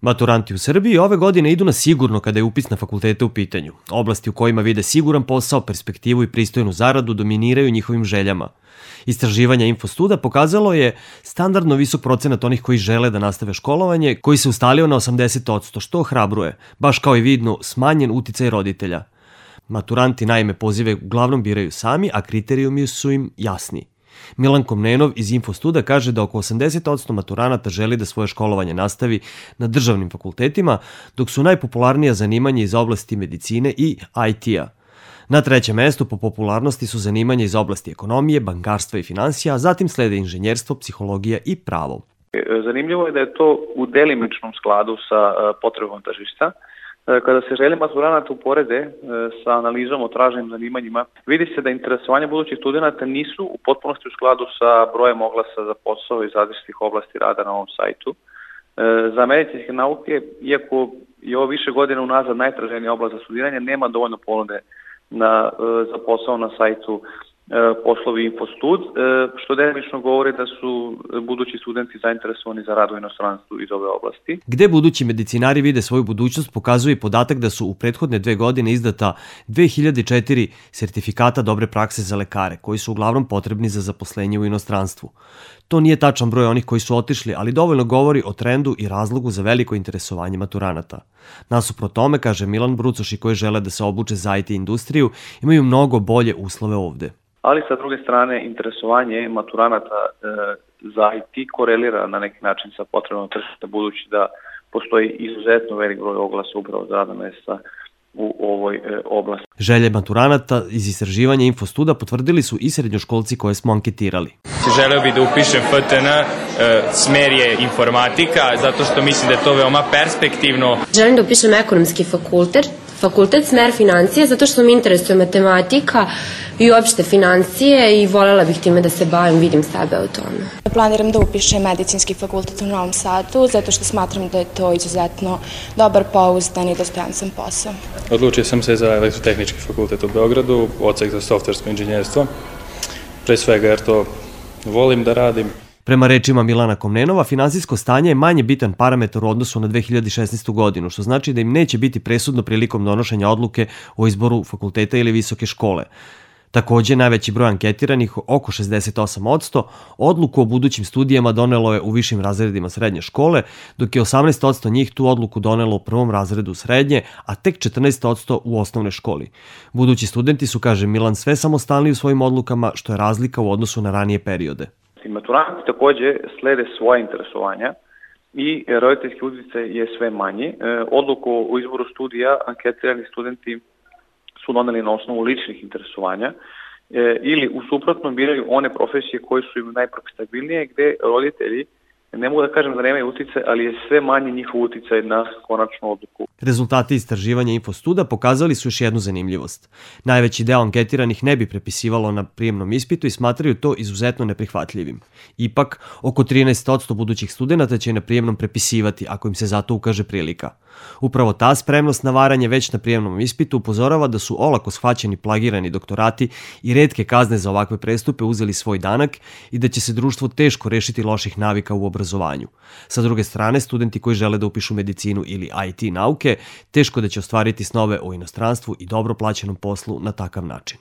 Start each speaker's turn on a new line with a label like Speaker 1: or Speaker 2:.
Speaker 1: Maturanti u Srbiji ove godine idu na sigurno kada je upis na fakultete u pitanju. Oblasti u kojima vide siguran posao, perspektivu i pristojnu zaradu dominiraju njihovim željama. Istraživanje Infostuda pokazalo je standardno visok procenat onih koji žele da nastave školovanje, koji se ustalio na 80%, što ohrabruje, baš kao i vidno smanjen uticaj roditelja. Maturanti naime pozive uglavnom biraju sami, a kriterijumi su im jasni. Milan Komnenov iz Infostuda kaže da oko 80% maturanata želi da svoje školovanje nastavi na državnim fakultetima, dok su najpopularnija zanimanja iz oblasti medicine i IT-a. Na trećem mestu po popularnosti su zanimanja iz oblasti ekonomije, bankarstva i finansija, a zatim slede inženjerstvo, psihologija i pravo.
Speaker 2: Zanimljivo je da je to u delimičnom skladu sa potrebom tržišta. Kada se želje maturanata uporede sa analizom o traženim zanimanjima, vidi se da interesovanje budućih studenta nisu u potpunosti u skladu sa brojem oglasa za posao iz različitih oblasti rada na ovom sajtu. Za medicinske nauke, iako je ovo više godina unazad najtraženija oblast za studiranje, nema dovoljno ponude za posao na sajtu poslovi Infostud, što delimično govori da su budući studenti zainteresovani za rad u inostranstvu iz ove oblasti.
Speaker 1: Gde budući medicinari vide svoju budućnost pokazuje i podatak da su u prethodne 2 godine izdata 2004 sertifikata dobre prakse za lekare, koji su uglavnom potrebni za zaposlenje u inostranstvu. To nije tačan broj onih koji su otišli, ali dovoljno govori o trendu i razlogu za veliko interesovanje maturanata. Nasuprot tome, kaže Milan, brucoši koji žele da se obuče za IT industriju imaju mnogo bolje uslove ovde.
Speaker 2: Ali sa druge strane, interesovanje maturanata za IT korelira na neki način sa potrebom tržišta, budući da postoji izuzetno velik broj oglasa upravo za radna mesta u ovoj oblasti.
Speaker 1: Želje maturanata iz istraživanja Infostuda potvrdili su i srednjoškolci koje smo anketirali.
Speaker 3: Želeo bih da upišem FTN, smer je informatika, zato što mislim da je to veoma perspektivno.
Speaker 4: Želim da upišem ekonomski fakultet, smer financije, zato što mi interesuje matematika i uopšte financije i voljela bih time da se bavim, vidim sebe u tome.
Speaker 5: Planiram da upišem medicinski fakultet u Novom Sadu, zato što smatram da je to izuzetno dobar, pouzdan i dostojanstven posao.
Speaker 6: Odlučio sam se za elektrotehnički fakultet u Beogradu, odsek za softversko inženjerstvo, pre svega jer to volim da radim.
Speaker 1: Prema rečima Milana Komnenova, finansijsko stanje je manje bitan parametar u odnosu na 2016. godinu, što znači da im neće biti presudno prilikom donošenja odluke o izboru fakulteta ili visoke škole. Takođe, najveći broj anketiranih, oko 68%, odluku o budućim studijama donelo je u višim razredima srednje škole, dok je 18% njih tu odluku donelo u prvom razredu srednje, a tek 14% u osnovnoj školi. Budući studenti su, kaže Milan, sve samostalniji u svojim odlukama, što je razlika u odnosu na ranije periode.
Speaker 2: Maturanti takođe slede svoje interesovanja i roditeljski uticaj je sve manji. Odluku o izboru studija anketirani studenti su doneli na osnovu ličnih interesovanja ili u suprotnom biraju one profesije koje su im najprofitabilnije, gde roditelji, ne mogu da kažem da nemaju uticaj, ali je sve manji njihov uticaj na konačnu odluku.
Speaker 1: Rezultati istraživanja Infostuda pokazali su još jednu zanimljivost. Najveći deo anketiranih ne bi prepisivalo na prijemnom ispitu i smatraju to izuzetno neprihvatljivim. Ipak, oko 13% budućih studenta će na prijemnom prepisivati ako im se zato ukaže prilika. Upravo ta spremnost na varanje već na prijemnom ispitu upozorava da su olako shvaćeni plagirani doktorati i retke kazne za ovakve prestupe uzeli svoj danak i da će se društvo teško rešiti loših navika u obrazovanju. Sa druge strane, studenti koji žele da upišu medicinu ili IT nauke, teško da će ostvariti snove o inostranstvu i dobro plaćenom poslu na takav način.